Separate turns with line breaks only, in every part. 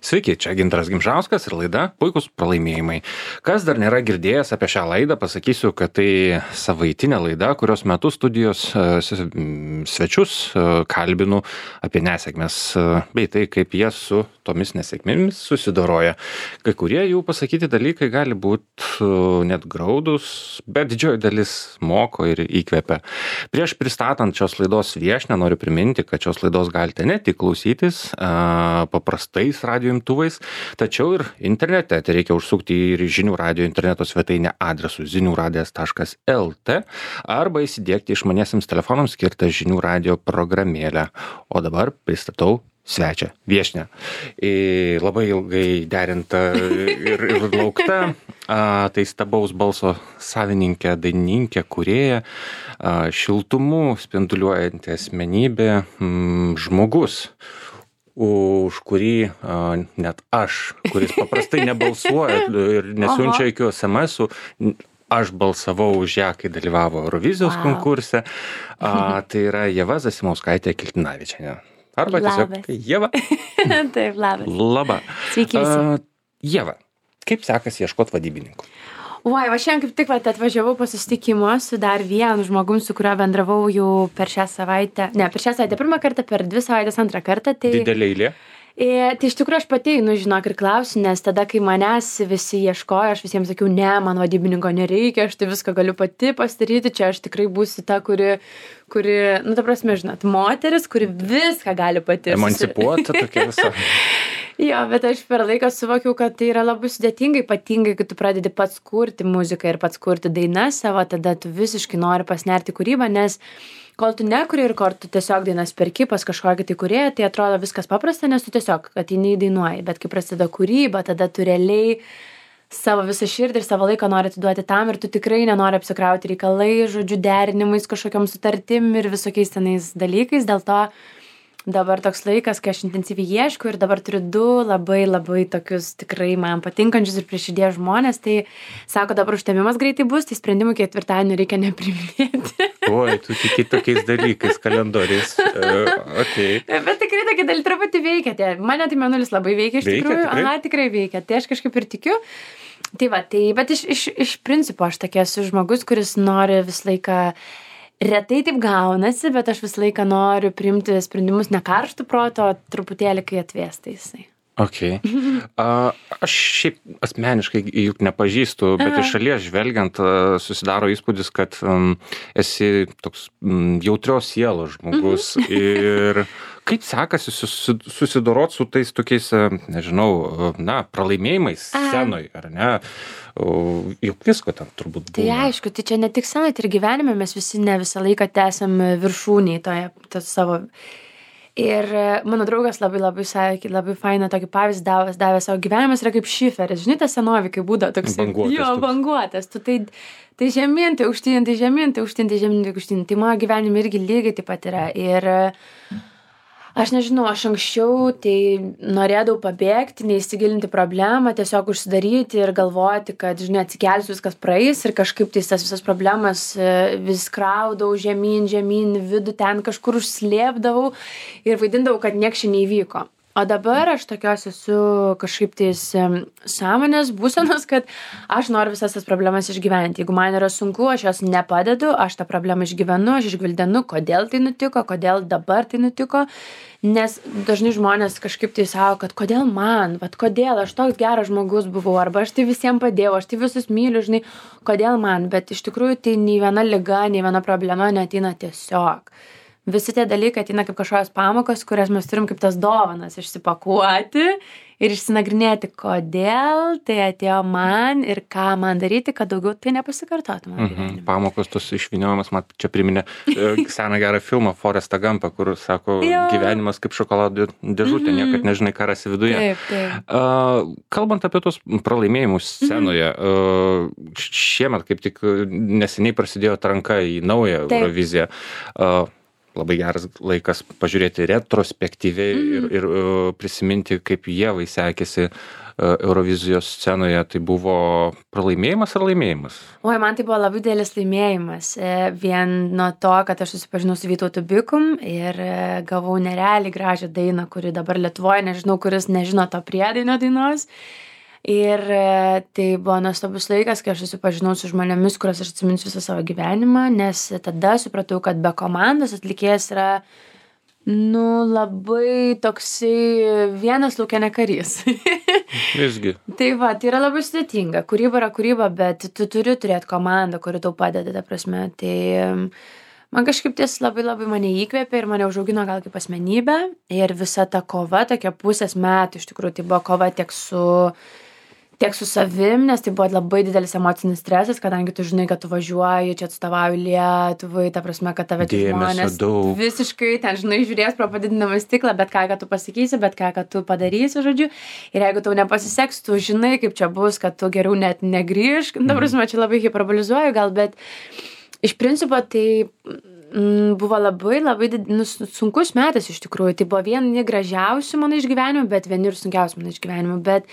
Sveiki, čia Gintaras Gimžauskas ir laida Puikūs pralaimėjimai. Kas dar nėra girdėjęs apie šią laidą, pasakysiu, kad tai savaitinė laida, kurios metu studijos svečius kalbinu apie nesėkmes, bei tai, kaip jie su tomis nesėkmėmis susidoroja. Kai kurie jų pasakyti dalykai gali būti net graudus, bet didžioji dalis moko ir įkvepia. Prieš pristatant šios laidos viešnią noriu priminti, kad šios laidos galite ne tik klausytis paprastais radio imtuvais, tačiau ir internete. Tai reikia užsukti į Žinių radijo interneto svetainę adresu ziniuradijas.lt arba įsidiegti išmaniesiems telefonams skirtą Žinių radijo programėlę. O dabar pristatau svečią, viešnią. Labai ilgai derinta ir laukta. Tai stabaus balso savininkė, dainininkė, kūrėja, šiltumu spinduliuojanti asmenybė, žmogus, už kurį net aš, kuris paprastai nebalsuoja ir nesiunčia jokių SMS-ų, aš balsavau už ją, kai dalyvavo Eurovizijos konkurse. Tai yra Ieva Zasimauskaitė Kiltinavičienė. Arba tiesiog Ieva.
Taip, labas.
Labą.
Sveiki visi.
Ieva, kaip sekasi ieškoti vadybininkų?
Oi, šiandien kaip tik atvažiavau po susitikimo su dar vienu žmogum, su kuriuo bendravau jau per šią savaitę. Ne, per šią savaitę pirmą kartą, per 2 savaitės antrą kartą. Tai...
Didelė eilė?
Tai iš tikrųjų aš pati einu, žinok, ir klausiu, nes tada, kai manęs visi ieškojo, aš visiems sakiau, ne, man vadybininko nereikia, aš tai viską galiu pati pasidaryti, čia aš tikrai būsiu ta, kuri, ta prasme, žinot, moteris, kuri viską gali pati.
Emancipuota tokia visa.
Jo, bet aš per laiką suvokiau, kad tai yra labai sudėtinga, ypatingai, kai tu pradedi pats kurti muziką ir pats kurti dainas savo, tada tu visiškai nori pasnerti kūrybą, nes kol tu nekuri ir kol tu tiesiog dainas perki pas kažkokį tai kūrėją, tai atrodo viskas paprasta, nes tu tiesiog ateini dainuoji, bet kai prasideda kūryba, tada tu realiai savo visą širdį ir savo laiką nori atiduoti tam ir tu tikrai nenori apsikrauti reikalai, žodžiu, derinimais, kažkokiam sutartim ir visokiais tenais dalykais, dėl to dabar toks laikas, kai aš intensyviai ieškau ir dabar turiu 2 labai tokius tikrai man patinkančius ir prie širdies žmonės, tai sako, dabar užtemimas greitai bus, tai sprendimų ketvirtadienį reikia nepriminėti.
Oi, tu tiki tokiais dalykais, kalendoriais. Okay.
Bet tikrai tokie dalykai truputį veikia. Mane tai mėnulis labai veikia iš tikrųjų. Aha, tikrai veikia. Tai aš kažkaip ir tikiu. Tai va, bet iš principo aš tokia esu žmogus, kuris nori visą laiką. Retai taip gaunasi, bet aš visą laiką noriu priimti sprendimus ne karštų proto, truputėlį, kai atvėsta jisai.
Okay. Aš šiaip asmeniškai juk nepažįstu, bet iš šalies žvelgiant susidaro įspūdis, kad esi toks jautrios sielos žmogus. Ir kaip sekasi susidorot su tais tokiais, nežinau, pralaimėjimais scenoj, ar ne? Juk visko ten turbūt būna.
Tai aišku, tai čia ne tik scenoj, tai ir gyvenime mes visi ne visą laiką tęsiam viršūniai toje savo. Ir mano draugas labai sakė, labai fainą tokį pavyzdį davė savo gyvenimas yra kaip šiferis. Žinai, tas senovi, kai būdavo toks banguotas. Tu tai žemyn, tai aukštyn, tai žemyn, tai aukštyn, tai žemyn, tai aukštyn. Tai mano gyvenime irgi lygiai taip pat yra. Ir aš nežinau, aš anksčiau tai norėdavau pabėgti, neįsigilinti problemą, tiesiog užsidaryti ir galvoti, kad, žinai, atsikelsiu, viskas praeis ir kažkaip tai tas visas problemas vis kraudavau žemyn, vidų ten kažkur užslėpdavau ir vaidindavau, kad nieks čia neįvyko. O dabar aš tokios esu kažkaip tais sąmonės būsenos, kad aš noriu visas tas problemas išgyventi. Jeigu man yra sunku, aš jos nepadedu, aš tą problemą išgyvenu, aš išgvildenu, kodėl tai nutiko, kodėl dabar tai nutiko. Nes dažnai žmonės kažkaip tai sako, kad kodėl man, kodėl aš toks geras žmogus buvau, arba aš tai visiems padėjau, aš tai visus myliu, žinai, kodėl man. Bet iš tikrųjų tai nei viena liga, nei viena problema neateina tiesiog. Visi tie dalykai ateina kaip kažkokios pamokos, kurias mes turim kaip tas dovanas išsipakuoti ir išsinagrinėti, kodėl tai atėjo man ir ką man daryti, kad daugiau tai nepasikartotų mano gyvenime.
Pamokos tos išvyniojimas, man čia priminė seną gerą filmą Forestą Gumpą, kur sako, gyvenimas kaip šokolado dėžutė, niekad nežinai, ką rasi viduje.
Taip.
Kalbant apie tos pralaimėjimus scenoje, šiemet kaip tik neseniai prasidėjo atranka į naują Euroviziją. labai geras laikas pažiūrėti retrospektyviai ir prisiminti, kaip Ievai sekėsi Eurovizijos scenoje. Tai buvo pralaimėjimas ar laimėjimas?
Oi, man tai buvo labai didelis laimėjimas. Vien nuo to, kad aš susipažinau su Vytautu Bikum ir gavau nerealiai gražią dainą, kuri dabar Lietuvoje, nežinau, kuris nežino to priedainio dainos. Ir tai buvo nuostabus laikas, kai aš susipažinau su žmonėmis, kuriuos aš atsiminsiu visą savo gyvenimą, nes tada supratau, kad be komandos atlikėjas yra, labai toksai vienas lauke ne karys.
Visgi.
Tai va, tai yra labai sudėtinga. Kūryba yra kūryba, bet tu turi turėti komandą, kuri tau padeda, ta prasme. Tai man kažkaip ties labai mane įkvėpė ir mane užaugino gal kaip asmenybę. Ir visa ta kova, tokia pusės metų, iš tikrųjų, tai buvo kova tiek su savim, nes tai buvo labai didelis emocinis stresas, kadangi tu žinai, kad tu važiuoji, čia atstovauji Lietuvai, ta prasme, kad tave čia žmonės visiškai ten, žinai, žiūrės pro padidinamą stiklą, bet ką tu pasakysi, bet ką tu padarysi, žodžiu. Ir jeigu tau nepasiseks, tu žinai, kaip čia bus, kad tu geriau net negrįžk. Ta prasme, čia labai hiperbolizuoju gal, bet iš principo tai buvo labai sunkus metas iš tikrųjų. Tai buvo vieni gražiausių mano išgyvenimų, bet vieni ir sunkiausių mano išgyvenimų. Bet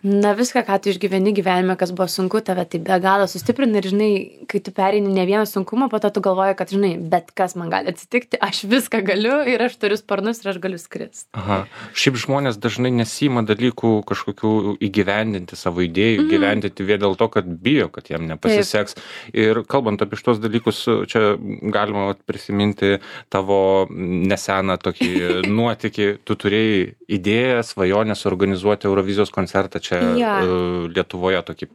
viską, ką tu išgyveni gyvenime, kas buvo sunku, tave tai be galo sustiprina ir, žinai, kai tu pereini ne vieną sunkumą, po to tu galvoji, kad, žinai, bet kas man gali atsitikti, aš viską galiu ir aš turiu sparnus ir aš galiu skristi.
Aha. Šiaip žmonės dažnai nesima dalykų kažkokių įgyvendinti, savo idėjų, gyvendinti vien dėl to, kad bijo, kad jam nepasiseks. Taip. Ir kalbant apie šitos dalykus, čia galima prisiminti tavo neseną tokį nuotykį. Tu turėjai idėją, svajonę suorganizuoti Eurovizijos koncertą čia Lietuvoje, tokį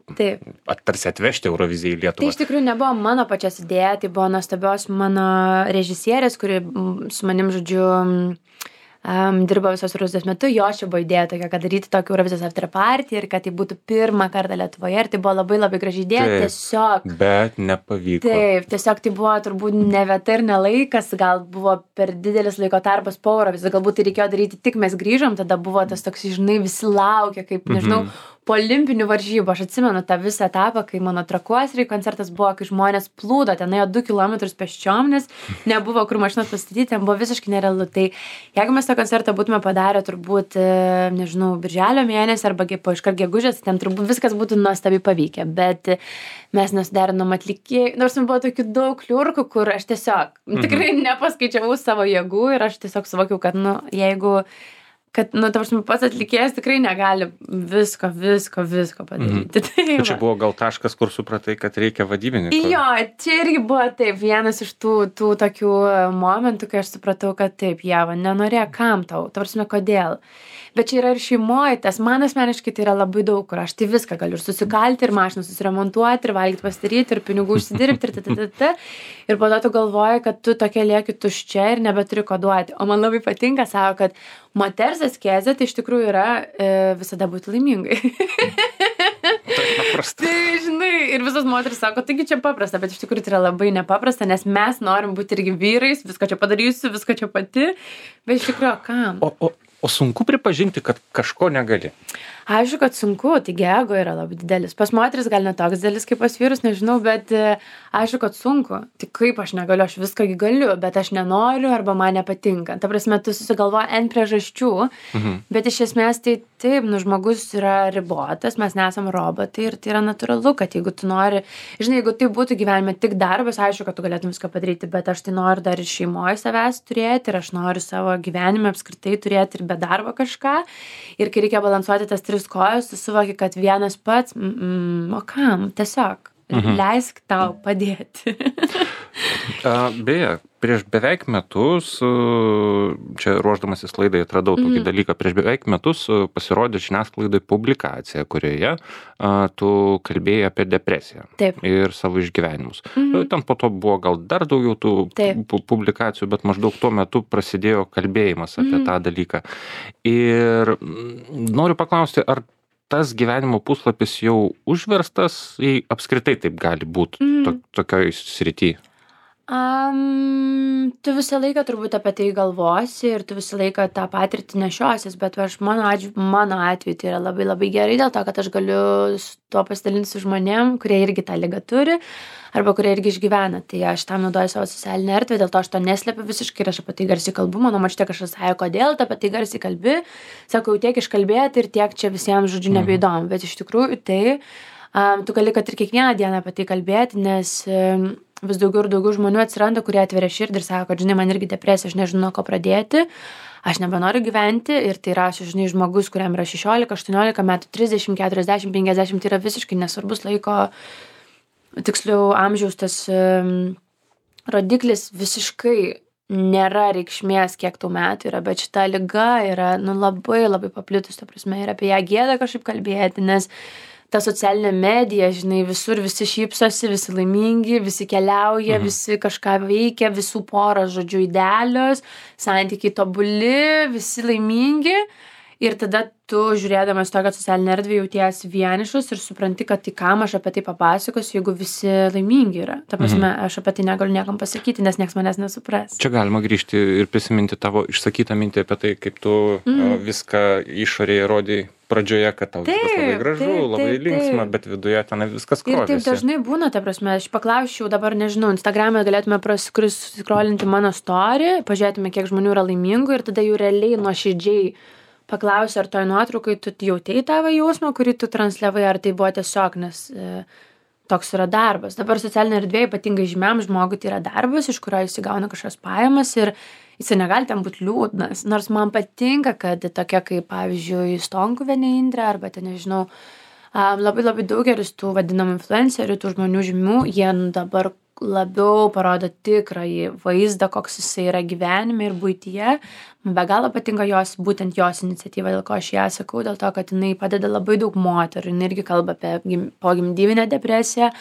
tarsi atvežti Euroviziją į Lietuvą.
Tai iš tikrųjų nebuvo mano pačios idėja, tai buvo nuostabios mano režisierės, kuri su manim, žodžiu, dirbo visos Eurovizijos metu. Jo čia buvo idėja tokia, kad daryti tokį Eurovizijos after party ir kad tai būtų pirmą kartą Lietuvoje. Ir tai buvo labai graži idėja.
Taip,
tiesiog.
Bet nepavyko.
Taip, tiesiog tai buvo turbūt ne vieta ir ne laikas, gal buvo per didelis laiko tarpas po Eurovizijos. Galbūt tai reikėjo daryti tik mes grįžom, tada buvo tas toks, žinai, visi laukia, kaip, nežinau, po olimpinių varžybų. Aš atsimenu tą visą etapą, kai mano Trakuosrėj koncertas buvo, kai žmonės plūdo, ten ėjo 2 kilometrus pėsčiom, nes nebuvo kur mašinas pastatyti, ten buvo visiškai nerealu. Tai jeigu mes tą koncertą būtume padarę turbūt, nežinau, birželio mėnesį arba iškart gegužės, ten turbūt viskas būtų nuostabiai pavykę, bet mes nesuderinom atlikėjų, nors man buvo tokių daug kliurkų, kur aš tiesiog tikrai nepaskaičiavau savo jėgų ir aš tiesiog suvokiau, kad, ta prasme, pats atlikėjas tikrai negali visko padaryti. Tai
čia buvo gal taškas, kur supratai, kad reikia vadybininko.
Jo, čia irgi buvo taip, vienas iš tų tokių momentų, kai aš supratau, kad taip, Ieva, nenorėjo kam tau, ta prasme, kodėl. Bet čia yra ir šeimoje, tas man asmeniškai tai yra labai daug, kur aš tai viską galiu ir susikalti, ir mašiną susiremontuoti, ir valgyti pasidaryti, ir pinigų užsidirbti, ir po to tu galvoji, kad tu tokia lieki tuščia ir nebeturi ko duoti. O man labai patinka, sako, kad moters askezė tai iš tikrųjų yra visada būti laimingai.
Tai paprasta.
Tai, žinai, ir visos moteris sako, taigi čia paprasta, bet iš tikrųjų tai yra labai nepaprasta, nes mes norim būti irgi vyrais, viską čia padarysiu, viską čia pati, bet iš tikrųjų, kam?
O sunku pripažinti, kad kažko negali?
Aišku, kad sunku, taigi ego yra labai didelis. Pas moteris gal ne toks didelis kaip pas vyrus, nežinau, bet aišku, kad sunku. Tai kaip aš negaliu, aš viską galiu, bet aš nenoriu arba man nepatinka. Ta prasme, tu susigalvoji N priežasčių, bet iš esmės tai taip, žmogus yra ribotas, mes nesam robotai ir tai yra natūralu, kad jeigu tu nori, žinai, jeigu tai būtų gyvenime tik darbas, aišku, kad tu galėtum viską padaryti, bet aš tai noriu dar ir šeimoje savęs turėti ir aš noriu savo gyvenime apskritai turėti ir be darbo kažką. Ir kai reikia balansuoti tas 3 kojas, tu suvoki, kad vienas pats, o kam, tiesiog leisk tau padėti.
Beje, prieš beveik metus, čia ruošdamasis laidai atradau tokį dalyką, prieš beveik metus pasirodė žiniasklaidai publikacija, kurioje tu kalbėjai apie depresiją.
Taip.
Ir savo išgyvenimus. Ten po to buvo gal dar daugiau tų publikacijų, bet maždaug tuo metu prasidėjo kalbėjimas apie tą dalyką. Ir noriu paklausti, ar tas gyvenimo puslapis jau užverstas, jei apskritai taip gali būti tokioj srity?
Tu visą laiką turbūt apie tai galvosi ir tu visą laiką tą patirtį nešiosies, bet mano atveju tai yra labai labai gerai dėl to, kad aš galiu tuo pasidalinti su žmonėm, kurie irgi tą ligą turi arba kurie irgi išgyvena. Tai aš tam naudoju savo socialinę erdvę, dėl to aš to neslepiu visiškai ir aš apie tai garsiai kalbu. Mano močiutė kažkas sako, kodėl tu apie tai garsiai kalbi. Sakau, tiek iškalbėti ir tiek čia visiems, žodžiu, nebeįdomu. Bet iš tikrųjų tai tu gali, kad ir kiekvieną dieną apie tai kalbėti, nes vis daugiau ir daugiau žmonių atsiranda, kurie atveria širdį ir sako, kad, žinai, man irgi depresija, aš nežinau, nuo ko pradėti, aš nebenoriu gyventi ir tai rašo, žinai, žmogus, kuriam yra 16, 18 metų, 30, 40, 50, tai yra visiškai nesvarbus laiko, tiksliau amžiaus tas rodiklis visiškai nėra reikšmės, kiek tų metų yra, bet šita liga yra, labai labai paplitus, ta prasme, ir apie ją gėda kažkaip kalbėti, nes ta socialinė medija, žinai, visur visi šypsosi, visi laimingi, visi keliauja, visi kažką veikia, visų poros, žodžiu, idealios, santykiai tobuli, visi laimingi. Ir tada tu, žiūrėdamas tokią socialinę erdvę, jautiesi vienišas ir supranti, kad tai kam aš apie tai papasakosiu, jeigu visi laimingi yra. Ta prasme, aš apie tai negaliu niekam pasakyti, nes nieks manęs nesupras.
Čia galima grįžti ir prisiminti tavo išsakytą mintį apie tai, kaip tu viską išorėje rodai pradžioje, kad tau viskas labai gražu, labai linksma, bet viduje ten viskas krovėsi.
Ir taip dažnai būna, ta prasme, aš paklausčiau dabar, nežinau, Instagram'e galėtume scrollinti mano story, pažiūrėtume, kiek žmonių yra laimingų ir tada jų realiai nuoširdžiai paklausiu, ar toj nuotraukai tu jautei tavo jausmą, kurį tu transliavai, ar tai buvo tiesiog, nes toks yra darbas. Dabar socialinė erdvė, ypatingai žymiam žmogui, tai yra darbas, iš kurio jis įgauna kažkokias pajamas ir jis negali ten būti liūdnas. Nors man patinka, kad tokia kaip, pavyzdžiui, Stonkuvienė Indrė, arba ten, nežinau, labai labai daugelis tų vadinamų influencerių, tų žmonių žymių, jie dabar labiau parodo tikrąjį vaizdą, koks jisai yra gyvenime ir buityje. Man be galo patinka būtent jos iniciatyva, dėl ko aš ją sakau, dėl to, kad jinai padeda labai daug moterų. Jinai irgi kalba apie pogimdyvinę depresiją,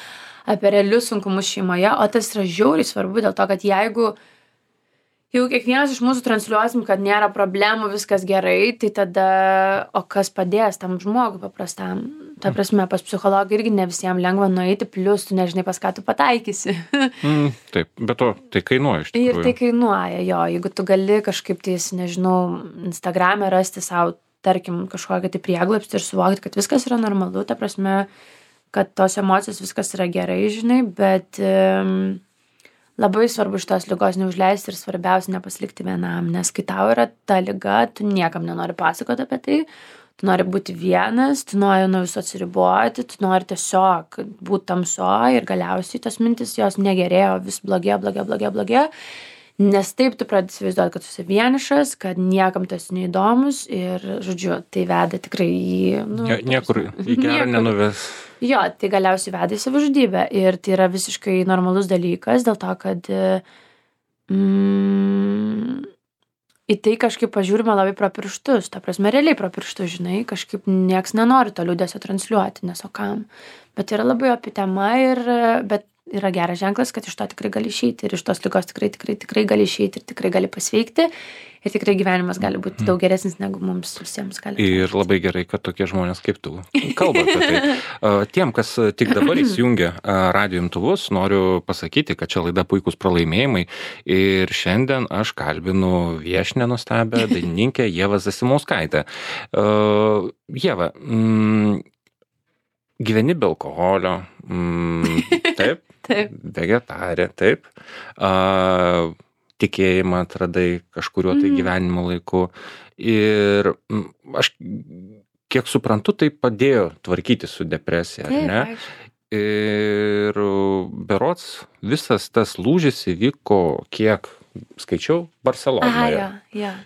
apie realius sunkumus šeimoje, o tas yra žiauriai svarbu dėl to, kad jeigu kiekvienas iš mūsų transliuosim, kad nėra problemų, viskas gerai, tai tada, o kas padės tam žmogui paprastam? Ta prasme, pas psichologą irgi ne visiems lengva nueiti, plus tu nežinai, pas ką tu pataikysi.
Taip, bet tai kainuoja iš tikrųjų.
Ir tai kainuoja, jo, jeigu tu gali kažkaip tais, nežinau, Instagram'e rasti savo, tarkim, kažkokią tai prieglobstį ir suvokti, kad viskas yra normalu, ta prasme, kad tos emocijos viskas yra gerai, žinai, bet labai svarbu šitos ligos neužleisti ir svarbiausia nepasilikti vienam, nes kai tau yra ta liga, tu niekam nenori pasakoti apie tai, tu nori būti vienas, tu nori nuo viso atsiriboti, tu nori tiesiog būti tamsoj ir galiausiai tos mintis jos negerėjo, vis blogėjo, nes taip tu pradedi įsivaizduoti, kad tu esi vienišas, kad niekam tu esi neįdomus ir, žodžiu, tai veda tikrai į...
Niekur į gerą nenuves.
Jo, tai galiausiai veda į savižudybę ir tai yra visiškai normalus dalykas dėl to, kad į tai kažkaip pažiūrima labai pro pirštus, ta prasme, realiai pro pirštus, žinai, kažkaip nieks nenori to liūdesio transliuoti, nes o kam. Bet yra labai opi tema bet yra geras ženklas, kad iš to tikrai gali išeiti ir iš tos ligos tikrai gali išeiti ir tikrai gali pasveikti ir tikrai gyvenimas gali būti daug geresnis negu mums visiems gali.
Ir labai gerai, kad tokie žmonės kaip tu kalba apie tai. Tiem, kas tik dabar įsijungia radijo imtuvus, noriu pasakyti, kad čia laida Puikūs pralaimėjimai ir šiandien aš kalbinu viešnią nuostabią dainininkę Ievą Zasimauskaitę. Ieva, gyveni be alkoholio, taip, vegetarė, taip, tikėjimą atradai kažkuriuo tai gyvenimo laiku ir aš kiek suprantu, tai padėjo tvarkyti su depresija, ar ne? Ir berods visas tas lūžis įvyko, kiek skaičiau, Barselonoje.
Jo.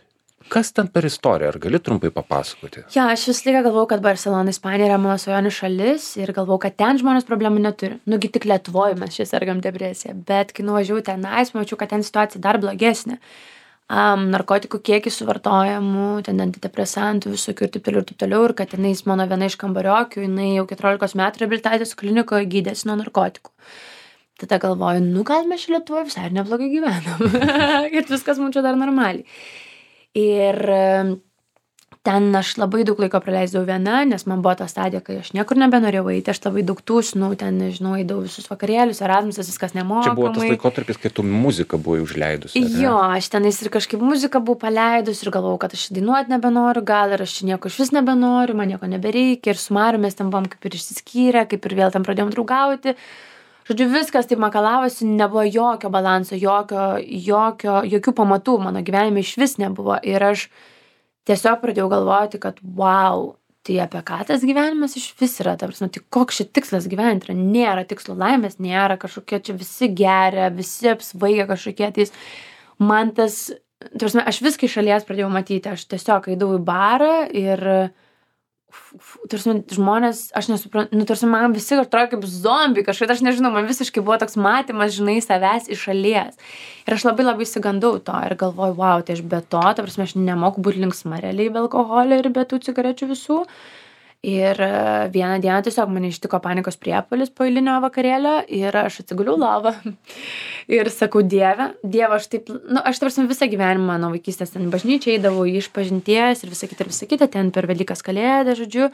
Kas ten per istoriją? Ar gali trumpai papasakoti?
Jo, aš visą laiką galvau, kad Barselona, Ispanija yra mano svajonių šalis ir galvau, kad ten žmonės problemų neturi. Nugi tik Lietuvoje mes čia sergam depresiją, bet kai nuvažiavau tenais, mačiau, kad ten situacija dar blogesnė. Narkotikų kiekis suvartojamų, ten antidepresantų, visokių ir taip toliau, ir kad tenais mano viena iš kambariokių, jinai jau 14 metų reabilitacijos klinikoje gydėsi nuo narkotikų. Tada galvoju, gal mes čia Lietuvoje visai neblogai gyvenam. Ir viskas mums čia dar normaliai. Ir ten aš labai daug laiko praleisdavau viena, nes man buvo ta stadija, kai aš niekur nebenorėjau eiti, aš labai daug tūsinau, ten, nežinau, eidavau visus vakarėlius, Erasmusas, viskas nemokamai.
Čia buvo tas laikotarpis, kai tu muziką buvai užleidus.
Jo, aš tenais ir kažkaip muziką buvau paleidus ir galvojau, kad aš dainuoti nebenoriu, gal ir aš nieko iš vis nebenoriu, man nieko nebereikia ir su Mariu mes ten buvom kaip ir išsiskyrę, kaip ir vėl ten pradėjom draugauti. Žodžiu, viskas taip makalavosi, nebuvo jokio balanso, jokių pamatų mano gyvenime iš vis nebuvo ir aš tiesiog pradėjau galvoti, kad wow, tai apie ką tas gyvenimas iš vis yra, ta prasme, tai koks šis tikslas gyventi yra, nėra tikslo laimės, nėra kažkokie čia visi geria, visi apsvaigia kažkokie, tai man tas, ta prasme, aš viską iš šalies pradėjau matyti, aš tiesiog eidavau į barą ir tarsi žmonės, aš nesuprantu, tarsi man visi atrodo kaip zombiai kažkaip, aš nežinau, man visiškai buvo toks matymas, žinai, savęs iš šalies. Ir aš labai įsigandau to ir galvoju, wow, tai aš be to, ta prasme, aš nemoku būti linksma realiai be alkoholio ir be tų cigarečių visų. Ir vieną dieną tiesiog mane ištiko panikos priepuolis po eilinio vakarėlio ir aš atsiguliau lovą ir sakau, Dieve, aš taip, aš tarsi visą gyvenimą nuo vaikystės ten bažnyčiai eidavau išpažinties ir visą kitą, ten per Velykas Kalėdą, žodžiu,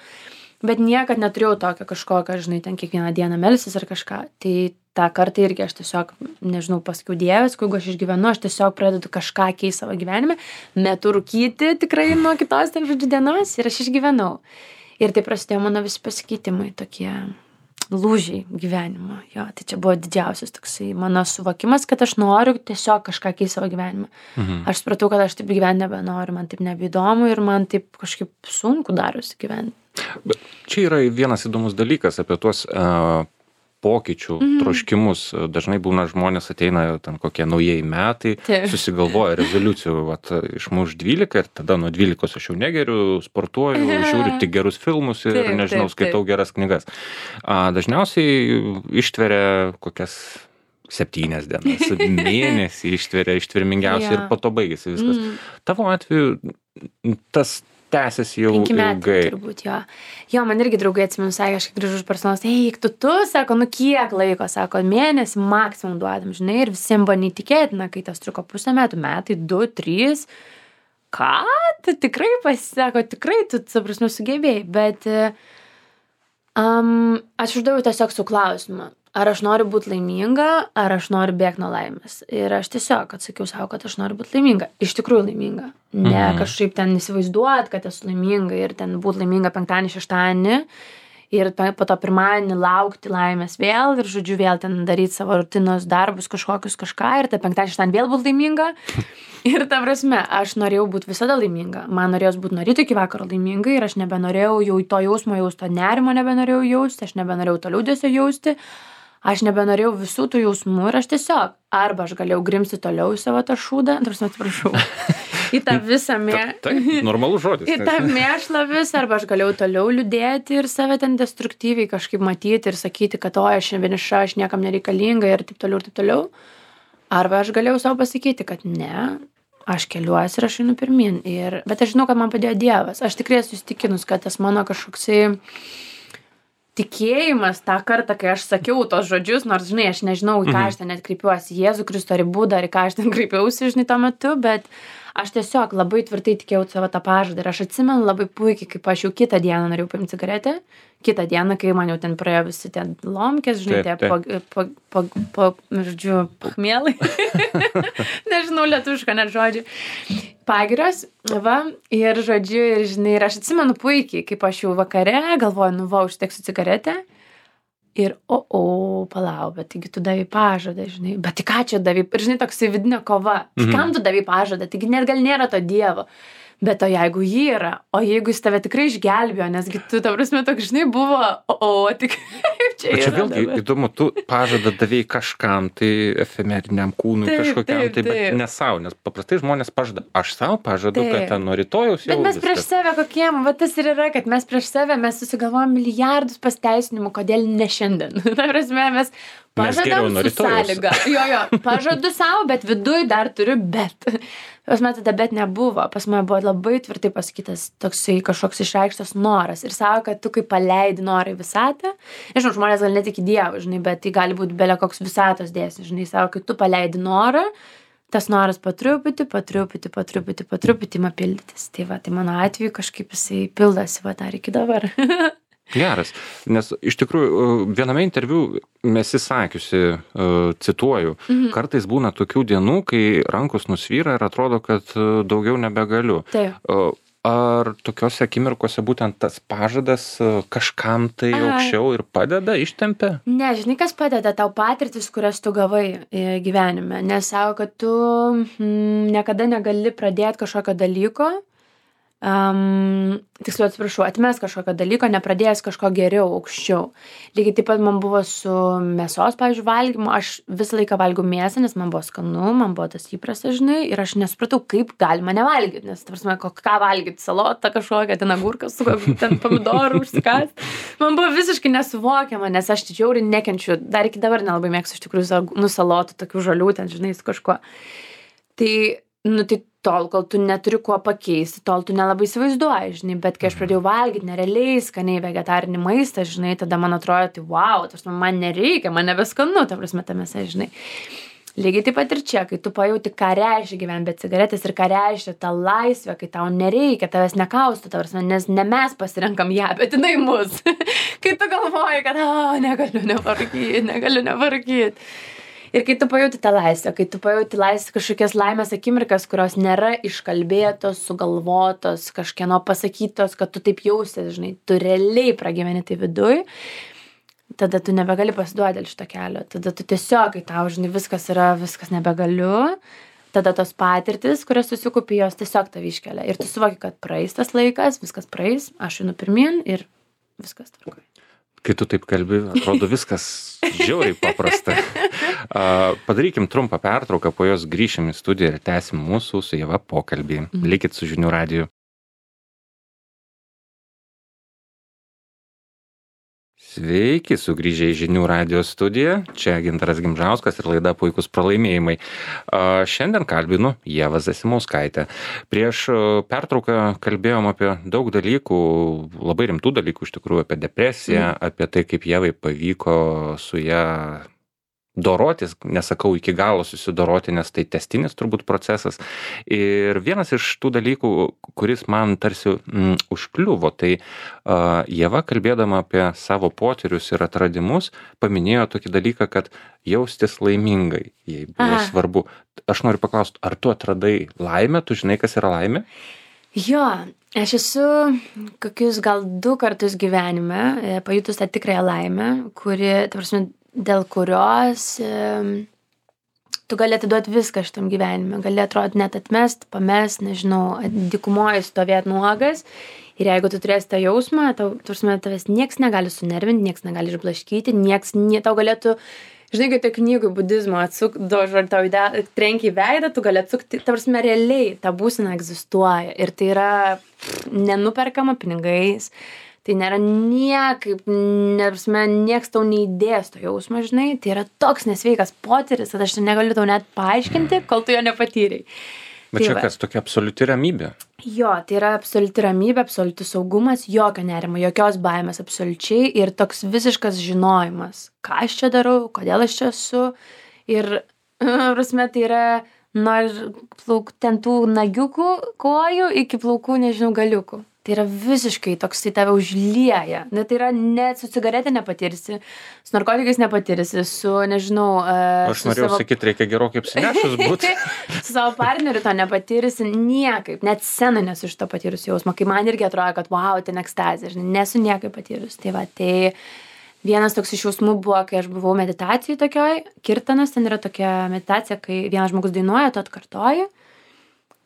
bet niekad neturėjau tokio kažkokio, žinai, ten kiekvieną dieną melsis ar kažką. Tai tą kartą irgi aš tiesiog, nežinau, pasakiau, Dieve, jeigu aš išgyvenu, aš tiesiog pradedu kažką keisti savo gyvenime, metu rūkyti tikrai nuo kitos ten, žodžiu, dienos ir aš išgyvenau. Ir tai prasidėjo mano visi pasikeitimai, tokie lūžiai gyvenimo. Jo, tai čia buvo didžiausias toksai mano suvokimas, kad aš noriu tiesiog kažką keisti savo gyvenimą. Aš supratau, kad aš taip gyventi nebenoriu, man taip nebeįdomu ir man taip kažkaip sunku darosi gyventi.
Bet čia yra vienas įdomus dalykas apie tuos pokyčių, troškimus. Dažnai būna žmonės ateina ten kokie naujieji metai, susigalvoja rezoliucijų, vat, išmuš 12 ir tada nuo 12 aš jau negeriu, sportuoju, žiūriu tik gerus filmus ir nežinau, skaitau geras knygas. Dažniausiai ištveria kokias 7 dienas, mėnesį ištvermingiausiai ir po to baigėsi viskas. Tavo atveju tas tęsiasi jau
5 metų
ilgai.
Turbūt, jo. Jo, man irgi draugai atsimenu, sakė, aš grįžu iš personalas, eik, tu, sako, kiek laiko, sako, mėnesį maksimum duodam, žinai, ir visiems buvo neįtikėtina, kai tas truko pusę metų, metai, 2, 3, ką, tu tikrai pasisako, tikrai tu, prasme, sugebėjai, bet aš uždaviau tiesiog su klausimą, ar aš noriu būti laiminga, ar aš noriu bėgti nuo laimės. Ir aš tiesiog atsakiau savo, kad aš noriu būti laiminga. Iš tikrųjų laiminga. Ne kažkaip ten įsivaizduot, kad esu laiminga ir ten būti laiminga 5, 6 ir po to pirmadienį laukti laimės vėl ir, žodžiu, vėl ten daryti savo rutinos darbus kažkokius kažką ir tą 5, 6 vėl būti laiminga. Ir ta prasme, aš norėjau būti visada laiminga. Man norėjos būti nuo ryto iki vakaro laiminga ir aš nebenorėjau jau to jausmo jausti, to nerimo nebenorėjau jausti, aš nebenorėjau to liūdesio jausti. Aš nebenorėjau visų tų jausmų ir aš tiesiog, arba aš galėjau grimsti toliau į savo tą šūdą, atsiprašau, į tą visą
normalus žodis.
Į tą mėšlą visą, arba aš galėjau toliau liūdėti ir save ten destruktyviai kažkaip matyti ir sakyti, kad aš vieniša, aš niekam nereikalinga ir taip toliau. Arba aš galėjau savo pasakyti, kad ne, aš keliuosi ir aš einu pirmin. Bet aš žinau, kad man padėjo Dievas. Aš tikrai esu įsitikinus, kad tas mano kažkoksai tikėjimas tą kartą, kai aš sakiau tos žodžius, nors, žinai, aš nežinau, į ką aš ten net kreipiuosi, Jėzų Kristų ar į Budą, ar į ką aš ten kreipiausi, žinai, tuo metu, bet aš tiesiog labai tvirtai tikėjau savo tą pažadą ir aš atsimenu labai puikiai, kaip aš jau kitą dieną norėjau paimti cigaretę, kitą dieną, kai man jau ten praėjo visi tie lomkės, žinai, žodžiu, pachmielai, nežinau, lietuvišką net žodžių, pagirios, va, ir žodžiu, ir žinai, ir aš atsimenu puikiai, kaip aš jau vakare galvoju, užteksiu cigaretę ir, palau, bet taigi tu davai pažadą, žinai, bet tai ką čia davai, ir žinai, toksai vidinė kova, kam tu davai pažadą, taigi net gal nėra to Dievo, bet o jeigu jį yra, o jeigu jis tave tikrai išgelbėjo, nesgi tu, ta prasme, toks, žinai, buvo, tik kaip čia yra.
Čia vėlgi įdomu, tu pažadą davai kažkam, tai efemeriniam kūnui kažkokiam, tai bet ne savo, nes paprastai žmonės pažada, aš savo pažadu, kad ten nuo rytojaus jau
bet mes prieš save kokiem, va tas ir yra, kad mes prieš save, mes susigalvojam milijardus pasiteisinimų, kodėl ne šiandien. Ta prasme, mes pažadam su sąlyga. Jo, pažadu savo, bet viduj dar turiu, bet. Pas mane tada bet nebuvo. Pas mane buvo labai tvirtai pasakytas toksai kažkoks išreikštas noras. Ir savo, kad tu kaip paleidi norą į visatą. Nežinau, žmonės gal netiki Dievą, žinai, bet tai gali būti belia koks visatos dėsnis, žinai, savo, kad tu paleidi norą, tas noras po truputį ima pildytis. Tai va, tai mano atveju kažkaip jisai pildosi va dar iki dabar.
Geras, nes iš tikrųjų viename interviu esi sakiusi, cituoju, kartais būna tokių dienų, kai rankos nusvyra ir atrodo, kad daugiau nebegaliu.
Taip.
Ar tokiose akimirkose būtent tas pažadas kažkam tai aukščiau ir padeda, ištempia?
Ne, žinai, kas padeda tau patirtis, kurias tu gavai gyvenime. Nes savo, kad tu niekada negali pradėti kažkokio dalyko, tiksliau atsiprašau, atmes kažkokio dalyko, nepradėjęs kažko geriau, aukščiau. Lygiai taip pat man buvo su mėsos, pavyzdžiui, valgymu. Aš visą laiką valgiau mėsą, nes man buvo skanu, man buvo tas įprastas, žinai, ir aš nesupratau, kaip galima nevalgyti, nes, ta prasme, ką valgyti, salotą kažkokią, ten agurką su ten pomidorų užsikast. Man buvo visiškai nesuvokiama, nes aš žiauriai nekenčiu, dar iki dabar nelabai mėgstu iš tikrųjų salotų, tokių žalių, ten, žinai, su kažkuo. Tai tol, kol tu neturi kuo pakeisti, tol tu nelabai įsivaizduoji, žinai, bet kai aš pradėjau valgyti nerealiai skaniai vegetarinį maistą, žinai, tada man atrodo, tai wow, man nereikia, man nebeskanu, ta prasme, ta mėsa, žinai. Lygiai taip pat ir čia, kai tu pajauti, ką reiškia gyventi be cigaretės ir ką reiškia ta laisvė, kai tau nereikia, tavęs nekaustų, ta prasme, nes ne mes pasirenkam ją, bet jinai mus. Kai tu galvoji, kad, negaliu nevarkyti. Ir kai tu pajauti tą laisvę, kai tu pajauti kažkokias laimės akimirkas, kurios nėra iškalbėtos, sugalvotos, kažkieno pasakytos, kad tu taip jausies, žinai, tu realiai pragyveni tai viduj, tada tu nebegali pasiduoti dėl šito kelio. Tada tu tiesiog, kai tau, žinai, viskas nebegaliu, tada tos patirtis, kurias susikaupi, jos tiesiog tave iškelia. Ir tu suvoki, kad praeis tas laikas, viskas praeis, aš einu pirmyn ir viskas tvarkoja.
Kai tu taip kalbi, atrodo viskas žiauriai paprasta. Padarykim trumpą pertrauką, po jos grįšim į studiją ir tęsim mūsų su Ieva pokalbį. Likit su Žinių radiju. Sveiki, sugrįžę į Žinių radijo studiją. Čia Gintaras Gimžauskas ir laida Puikūs pralaimėjimai. Šiandien kalbinu Ievą Zasimauskaitę. Prieš pertrauką kalbėjom apie daug dalykų, labai rimtų dalykų iš tikrųjų, apie depresiją, apie tai, kaip Ievai pavyko su ją dorotis, nesakau iki galo susidoroti, nes tai tęstinis turbūt procesas. Ir vienas iš tų dalykų, kuris man tarsi užkliuvo, tai Ieva, kalbėdama apie savo potyrius ir atradimus, paminėjo tokį dalyką, kad jaustis laimingai, jai buvo svarbu. Aš noriu paklausti, ar tu atradai laimę, tu žinai, kas yra laimė?
Jo, aš esu kokius gal 2 kartus gyvenime pajutus tą tikrąją laimę, kuri, ta prasme, dėl kurios tu gali atiduoti viską šitam gyvenime. Gali atrodyti net atmest, pamest, nežinau, dykumoje stovėti nuogas. Ir jeigu tu turėsi tą jausmą, tavęs nieks negali sunervinti, nieks negali išblaškyti, tau galėtų, žinai, kai tai knygų budizmo tau trenkia į veidą, tu gali atsukti, realiai ta būsena egzistuoja. Ir tai yra nenuperkama pinigais. Tai nėra niekaip, nieks tau neįdės to jausmo, žinai, tai yra toks nesveikas potyris, kad aš negaliu tau net paaiškinti, kol tu jo nepatyrai.
Bet čia kas, tokia absoliuti ramybė?
Jo, tai yra absoliuti ramybė, absoliutus saugumas, jokio nerimo, jokios baimės absoliučiai ir toks visiškas žinojimas, ką aš čia darau, kodėl aš čia esu ir, prasme, tai yra nuo ten tų nagiukų kojų iki plaukų, nežinau, galiukų. Tai yra visiškai toks, tai tave užlieja. Tai yra net su cigaretė nepatirsi, su narkotikais nepatirsi, su, nežinau...
Aš norėjau sakyti, reikia gerokai apsinešus būti.
Su savo partneriu to nepatirsi niekaip, net scenai nesu iš to patyrusi jausmą, kai man irgi atrodo, kad wow, ten ekstazė, nesu niekaip patyrusi. Tai va, tai vienas toks iš jausmų buvo, kai aš buvau meditacijai tokioj, kirtanas, ten yra tokia meditacija, kai vienas žmogus dainuoja, tu atkartoji.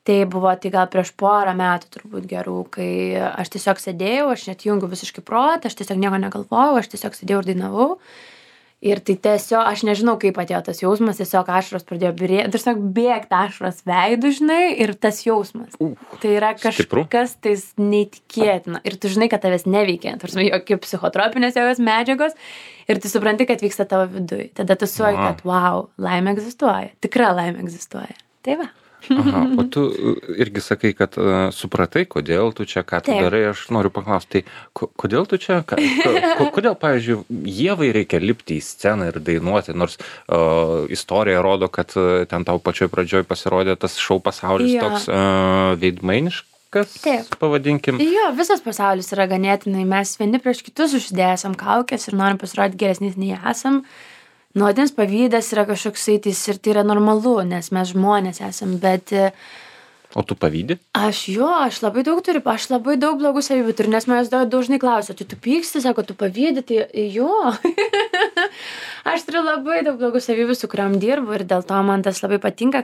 Tai buvo tai gal prieš 4 metų turbūt gerų, kai aš tiesiog sėdėjau, aš net jungiu visiškai protą, aš tiesiog nieko negalvojau, aš tiesiog sėdėjau ir dainavau. Ir tai tiesiog, aš nežinau, kaip atėjo tas jausmas, tiesiog ašaros pradėjo tiesiog bėgti ašaros veidų, žinai, ir tas jausmas. Tai yra kažkas tais neįtikėtina. Ir tu žinai, kad tavęs neveikia, tarsi jokie psichotropinės jokios medžiagos, ir tu supranti, kad vyksta tavo viduj. Tada tu suvoki, kad wow, laimė egzistuoja, tikra laimė egzistuoja. Tai va.
Aha, o tu irgi sakai, kad supratai, kodėl tu čia, ką tu
Taip.
darai, aš noriu paklausti, tai kodėl tu čia, kodėl, pavyzdžiui, Ievai reikia lipti į sceną ir dainuoti, nors istorija rodo, kad ten tau pačioj pradžioj pasirodė tas šou pasaulis toks veidmainiškas,
Taip.
pavadinkim.
Jo, visas pasaulis yra ganėtinai, mes vieni prieš kitus užsidėsam kaukės ir norim pasirodyti geresnis nei esam. Nuodinis pavydas yra kažkoksai ir tai yra normalu, nes mes žmonės esam, bet...
O tu pavydi?
Aš labai daug turiu, aš labai daug blogų savybių turiu, nes manęs dažnai klausia, tu pyksti, sako, tu pavydi, tai jo. Aš turiu labai daug blogų savybių, su kuriam dirbu ir dėl to man tas labai patinka,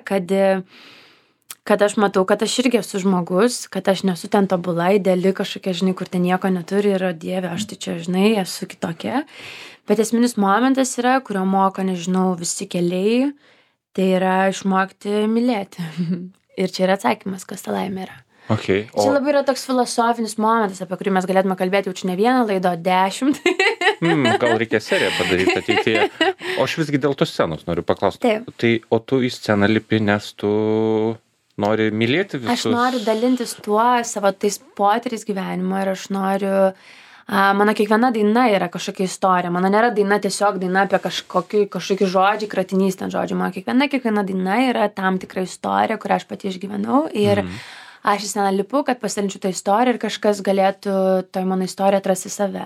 kad aš matau, kad aš irgi esu žmogus, kad aš nesu ten tobula, ideali kažkokia, žinai, kur ten nieko neturi ir, Dieve, aš tai čia, žinai, esu kitokia. Bet esminis momentas yra, kurio moko, nežinau, visi keliai, tai yra išmokti mylėti. Ir čia yra atsakymas, kas ta laimė yra.
Okay,
Čia labai yra toks filosofinis momentas, apie kurį mes galėtume kalbėti jau čia ne vieną laidą, 10.
Gal reikia seriją padaryti ateityje. O aš visgi dėl tos scenos noriu paklausti.
Taip.
Tai, o tu į sceną lipi, nes tu nori mylėti visus?
Aš noriu dalintis tuo savo tais potyriais gyvenimo ir aš noriu... Mano kiekviena daina yra kažkokia istorija. Mano nėra daina tiesiog daina apie kažkokį žodžių, kratinys ten žodžių. Mano kiekviena daina yra tam tikra istorija, kurią aš pati išgyvenau. Ir aš į sceną lipu, kad pasidalinčiau tą istoriją ir kažkas galėtų toj mano istoriją atrasti save.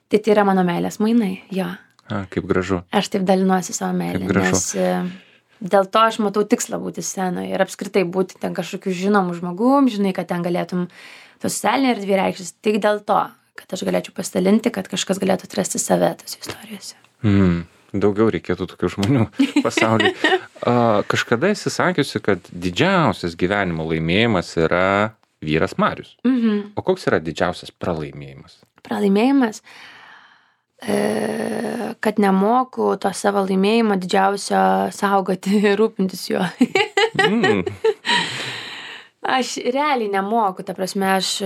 Tai yra mano meilės mainai, jo.
Kaip gražu.
Aš taip dalinuosi savo meilę, nes dėl to aš matau tikslą būti scenoje ir apskritai būti ten kažkokiu žinomu žmogum, žinai, kad ten galėtum to socialinė erdvė reikštis. Tik dėl to, kad aš galėčiau pasidalinti, kad kažkas galėtų atrasti save tose istorijose.
Daugiau reikėtų tokių žmonių pasaulyje. Kažkada esi sakiusi, kad didžiausias gyvenimo laimėjimas yra vyras Marius. O koks yra didžiausias pralaimėjimas?
Pralaimėjimas, kad nemoku to savo laimėjimo didžiausio saugoti ir rūpintis juo. Aš realiai nemoku, ta prasme, aš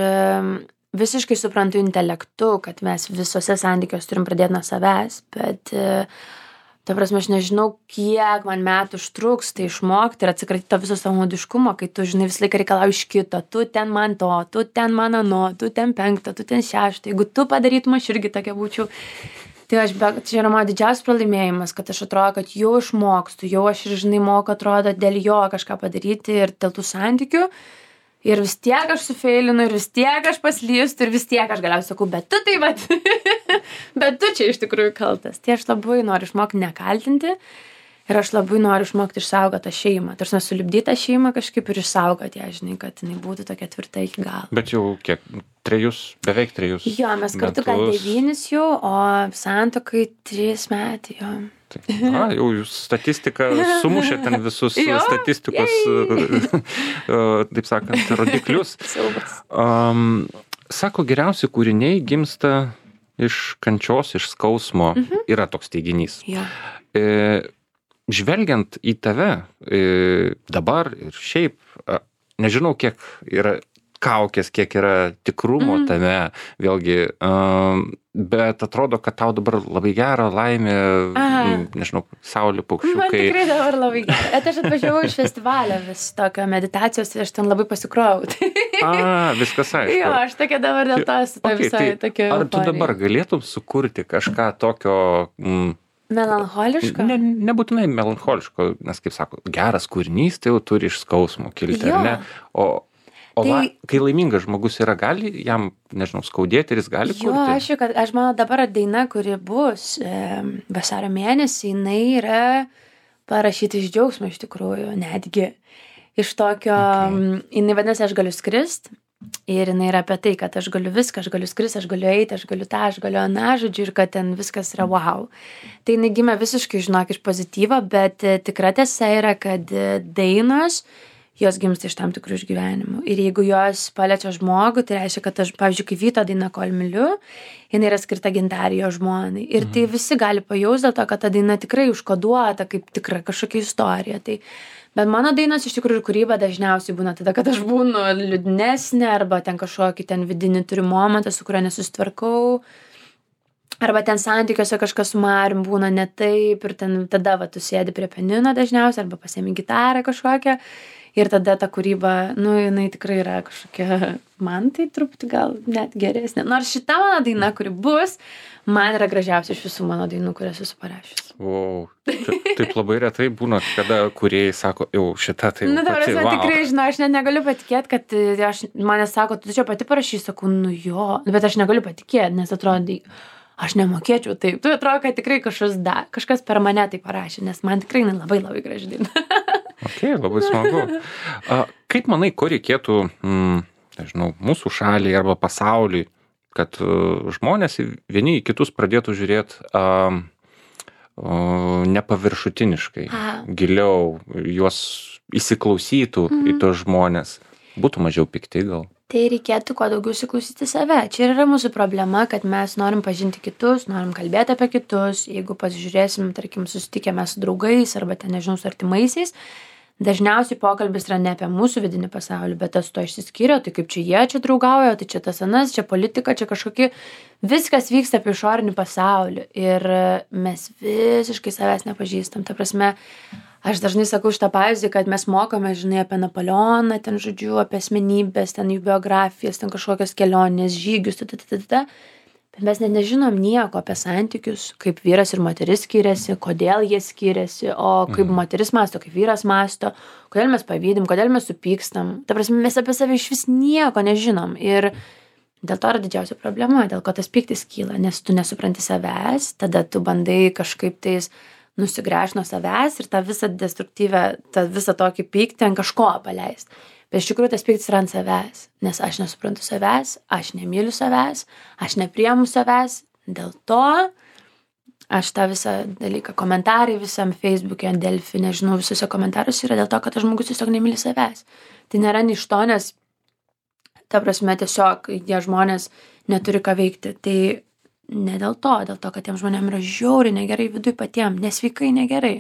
visiškai suprantu intelektu, kad mes visose santykiuose turim pradėti nuo savęs, bet, ta prasme, aš nežinau, kiek man metų užtruks tai išmokti ir atsikratyti to viso savanaudiškumo, kai tu, žinai, visą laiką reikalauji iš kito, tu ten man to, tu ten man ano, tu ten 5, tu ten 6, jeigu tu padarytum, aš irgi tokia būčiau. Tai čia yra mano didžiausias pralaimėjimas, kad aš atrodo, kad jau išmokstu, jau aš ir, žinai, moku, atrodo, dėl jo kažką padaryti ir dėl tų santykių. Ir vis tiek aš sufeilinu, ir vis tiek aš paslystu, ir vis tiek aš galiausiai sakau, bet tu tai vat, bet tu čia iš tikrųjų kaltas. Tai aš labai noriu išmokti nekaltinti ir aš labai noriu išmokti išsaugoti tą šeimą. Tarsi sulipdyti tą šeimą kažkaip ir išsaugoti ją, žinai, kad jinai būtų tokia tvirta iki galo.
Bet jau kiek? 3, beveik 3.
Jo, mes kartu gal 9 jau, o santuokai 3 metai, jo.
Jau jūs statistiką sumušė ten visus statistikos, taip sakant, rodiklius. Sako, geriausi kūriniai gimsta iš kančios, iš skausmo. Yra toks teiginys.
Ja.
Žvelgiant į tave dabar ir šiaip, nežinau, kiek yra kaukės, kiek yra tikrumo tame, vėlgi, bet atrodo, kad tau dabar labai gera, laimė, nežinau, saulė, paukščiukai.
Man tikrai dabar labai gera. Aš atvažiavau iš festivalio vis tokio meditacijos ir aš ten labai pasikrovau.
Viskas aišku.
Jo, aš tokia dabar dėl to esu visai tokia.
Ar tu dabar galėtum sukurti kažką tokio...
Melancholiško?
Nebūtinai melancholiško, nes, kaip sako, geras kūrinys, tai jau turi iš skausmo kilti, ar ne? O kai laimingas žmogus yra, gali jam, nežinau, skaudėti ir jis gali kurti?
Jo, aš manau, dabar daina, kuri bus vasario mėnesį, jinai yra parašyti iš džiaugsmo iš tikrųjų, netgi iš tokio, jinai vadinasi, aš galiu skrist ir jinai yra apie tai, kad aš galiu viską, aš galiu skrist, aš galiu eiti, aš galiu tą, aš galiu aną, žodžiu, ir kad ten viskas yra wow. Tai jinai gimė visiškai, žinok, iš pozityvo, bet tikra tiesa yra, kad dainos jos gimsta iš tam tikrų išgyvenimų. Ir jeigu jos paliečia žmogų, tai reiškia, kad aš, pavyzdžiui, kai Vyto daina Kol myliu, jinai yra skirta gintarei jo žmonai. Ir tai visi gali pajausti dėl to, kad ta daina tikrai užkoduota kaip tikra kažkokia istorija. Tai, bet mano dainos iš tikrųjų kūryba dažniausiai būna tada, kad aš būnu liūdnesnė arba ten kažkokį ten vidinį turiu momentą, su kuriuo nesusitvarkau. Arba ten santykiuose kažkas su Marium būna ne taip ir ten tada va tu sėdi prie pianino dažniausiai arba pasiemi gitarą kažkokią Ir tada ta kūryba, nu, jinai tikrai yra kažkokia, man tai truputį gal net geresnė. Nors šita mano daina, kuri bus, man yra gražiausia iš visų mano dainų, kurias esu parašęs.
Wow. Taip labai retai būna, kada kūrėjai sako, jau šita tai
Nu,
pati, wow.
tikrai, žinau, aš net negaliu patikėti, kad mane sako, tu čia pati parašys, sakau, nu jo, bet aš negaliu patikėti, nes atrodo, aš nemokėčiau taip. Tu atrodo, kad tikrai kažkas per mane tai parašė, nes man tikrai labai labai graži daina.
Ok, labai smagu. Kaip manai, ko reikėtų, nežinau, mūsų šaliai arba pasauliui, kad žmonės vieni į kitus pradėtų žiūrėti nepaviršutiniškai, giliau, juos įsiklausytų į tos žmonės, būtų mažiau pikti gal?
Tai reikėtų kuo daugiau įsiklausyti save. Čia ir yra mūsų problema, kad mes norim pažinti kitus, norim kalbėti apie kitus. Jeigu pasižiūrėsim, tarkim, susitikėme su draugais arba ten, nežinau, su artimaisiais, dažniausiai pokalbis yra ne apie mūsų vidinį pasaulį, bet tas to išsiskiria, tai kaip čia jie čia draugauja, tai čia tas anas, čia politika, čia kažkokie, viskas vyksta apie išorinį pasaulį ir mes visiškai savęs nepažįstam. Ta prasme, aš dažnai sakau šitą pavyzdį, kad mes mokome, žinai, apie Napoleoną, ten žodžiu, apie asmenybės, ten jų biografijas, ten kažkokias kelionės, žygius, bet mes net nežinom nieko apie santykius, kaip vyras ir moteris skiriasi, kodėl jie skiriasi, o kaip moteris masto, kaip vyras masto, kodėl mes pavydim, kodėl mes supykstam. Ta prasme, mes apie save iš vis nieko nežinom ir dėl to yra didžiausia problema, dėl ko tas pyktis kyla, nes tu nesupranti savęs, tada tu bandai kažkaip tais nusigręžti nuo savęs ir tą visą destruktyvę, tą visą tokį pyktį ant kažko paleist. Bet iš tikrųjų tas pyktis yra ant savęs, nes aš nesuprantu savęs, aš nemyliu savęs, aš nepriemu savęs, dėl to aš tą visą dalyką, komentarai visam Facebook'e, Delfi, nežinau, visuose komentaruose yra dėl to, kad tas žmogus tiesiog nemyli savęs. Tai nėra iš to, nes ta prasme tiesiog jie žmonės neturi ką veikti. Tai ne dėl to, kad tiem žmonėm yra žiauriai negerai viduj patiem, nesveikai negerai,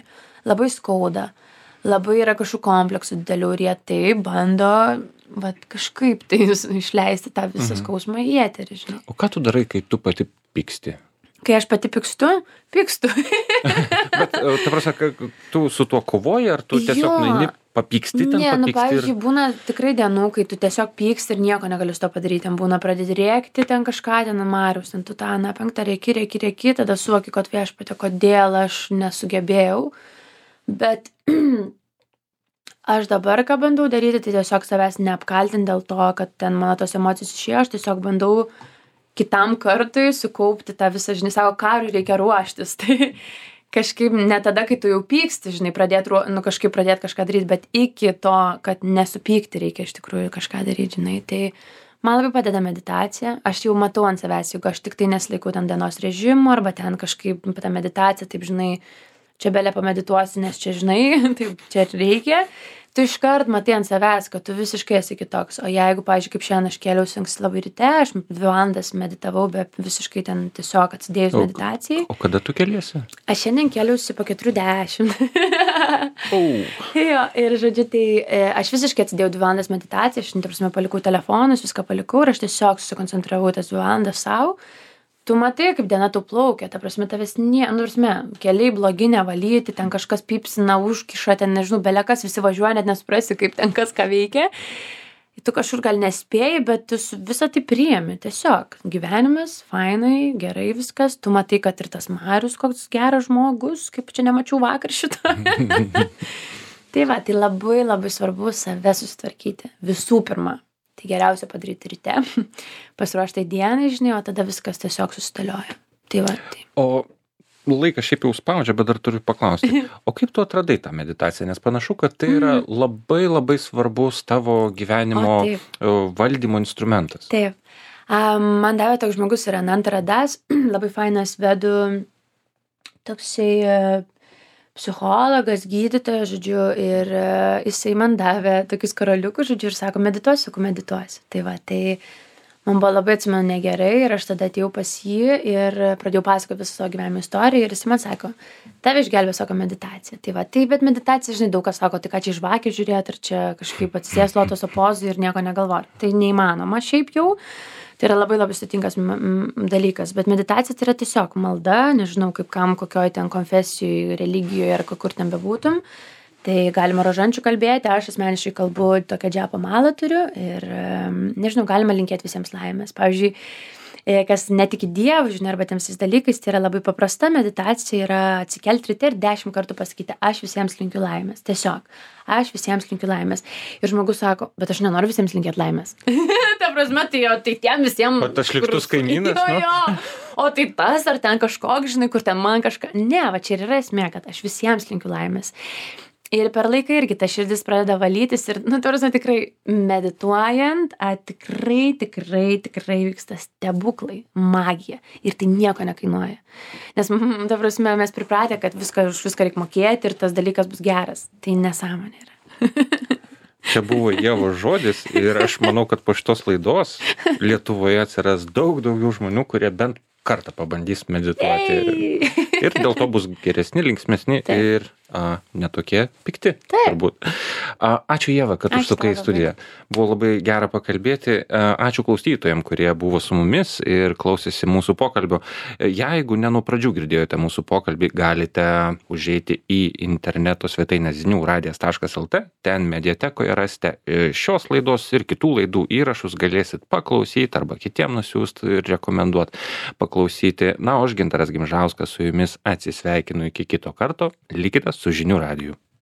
labai skauda. Labai yra kažkokių kompleksų didelių ir jie taip bando kažkaip tai išleisti tą visą skausmą į eterį, žinai.
O ką tu darai, kai tu pati pyksti?
Kai aš pati pykstu.
Bet, ta prasme, tu su tuo kovoji, ar tu tiesiog nueini papyksti ten?
Ne, pavyzdžiui, būna tikrai dienų, kai tu tiesiog pyksti ir nieko negali su to padaryti. Ten būna pradėti rėkti, ten kažką, ten Marius, ten tu tą, penktą rėki, tada suvoki, kad viešpatie, kodėl aš nesugebėjau. Bet aš dabar, ką bandau daryti, tai tiesiog savęs neapkaltinti dėl to, kad ten mano tos emocijos išėjo, aš tiesiog bandau kitam kartui sukaupti tą visą, žinai, savo karui reikia ruoštis. Tai kažkaip ne tada, kai tu jau pyksti, žinai, kažkaip pradėti kažką daryti, bet iki to, kad nesupykti reikia iš tikrųjų kažką daryti, žinai. Tai man labai padeda meditacija, aš jau matau ant savęs, jeigu aš tik tai nesilaikau ten dienos režimo arba ten kažkaip tą meditaciją, taip, žinai, čia belė pamedituosi, nes čia, žinai, taip, čia reikia, tu iškart matai ant savęs, kad tu visiškai esi kitoks. O jeigu, pavyzdžiui, kaip šiandien aš kėliausi anksti labai ryte, aš 2 valandas meditavau, bet visiškai ten tiesiog atsidėjus meditacijai.
O kada tu kėliesi?
Aš šiandien kėliausi po 4:10. Jo, ir žodžiu, tai aš visiškai atsidėjau 2 valandas meditaciją, aš, ta prasme, palikau telefonus, viską palikau ir aš tiesiog susikoncentravau tas 2 valandas savo. Tu matai, kaip diena tu plaukia, ta prasme, tavęs keliai blogi nevalyti, ten kažkas pypsina, užkiša, ten nežinau, belekas, visi važiuoja, net nesuprasi, kaip ten kas ką veikia. Tu kažkur gal nespėjai, bet tu visą tai priimi, tiesiog. Gyvenimas, fainai, gerai viskas, tu matai, kad ir tas Marius koks geras žmogus, kaip čia nemačiau vakar šitą. Tai va, tai labai labai svarbu save susitvarkyti, visų pirma. Tai geriausia padaryti ryte, pasiruošti dienai, žinai, o tada viskas tiesiog susidėlioja. Tai va, tai.
O laikas šiaip jau spaudžia, bet dar turiu paklausti. O kaip tu atradai tą meditaciją? Nes panašu, kad tai yra labai labai svarbus tavo gyvenimo valdymo instrumentas.
Taip. Man davė toks žmogus yra Ananta Radas, labai fainas vedų toksai psichologas, gydytojas, žodžiu, ir jisai man davė tokius karoliukus, žodžiu, ir sako, medituosiu. Tai va, tai man buvo labai, atsimenu, negerai ir aš tada atėjau pas jį ir pradėjau pasakoti visą savo gyvenimo istoriją ir jisai man sako, tave išgelbė, sako, meditacija. Tai va, tai, bet meditacija, žinai, daug kas sako, tai ką čia iš žvakės žiūrėti, ar čia kažkaip atsisės lotoso pozų ir nieko negalvoti. Tai neįmanoma šiaip jau. Tai yra labai labai sudėtingas dalykas, bet meditacija tai yra tiesiog malda, nežinau kaip kam, kokioj ten konfesijoj, religijoje ar kur ten bebūtum. Tai galima rožančių kalbėti, aš asmeniškai kalbu tokią džiapo malą turiu ir, nežinau, galima linkėti visiems laimės. Pavyzdžiui, kas netiki Dievu, žinai, arba tiems dalykais, tai yra labai paprasta meditacija, yra atsikelti ryte ir 10 kartų pasakyti, aš visiems linkiu laimės. Tiesiog, aš visiems linkiu laimės. Ir žmogus sako, bet aš nenoriu visiems linkėti laimės. Ta prasme, tai tiem visiems...
O tas šliktus kaimynas,
jo. O tai tas, ar ten kažkoks, žinai, kur ten man kažką... Ne, va čia ir yra esmė, kad aš visiems linkiu laimės. Ir per laiką irgi ta širdis pradeda valytis ir, tarsi tikrai medituojant, tikrai vyksta stebuklai, magija. Ir tai nieko nekainuoja. Nes, ta prasme, mes pripratę, kad už viską reikia mokėti ir tas dalykas bus geras. Tai nesąmonė yra.
Čia buvo Ievos žodis ir aš manau, kad po šitos laidos Lietuvoje atsiras daug daugiau žmonių, kurie bent kartą pabandys medituoti. Ir dėl to bus geresni, linksmesni ir netokie pikti. Turbūt. Ačiū Ieva, kad užsukai į studiją. Buvo labai gera pakalbėti. Ačiū klausytojams, kurie buvo su mumis ir klausėsi mūsų pokalbio. Jeigu ne nuo pradžių girdėjote mūsų pokalbį, galite užeiti į interneto svetainę ziniuradijas.lt. Ten mediatekoje rasite šios laidos ir kitų laidų įrašus, galėsit paklausyti arba kitiem nusiųsti ir rekomenduoti paklausyti. Na, o aš Gintaras Gimžauskas su jumis atsisveikinu iki kito karto. Likite su Žinių radiju.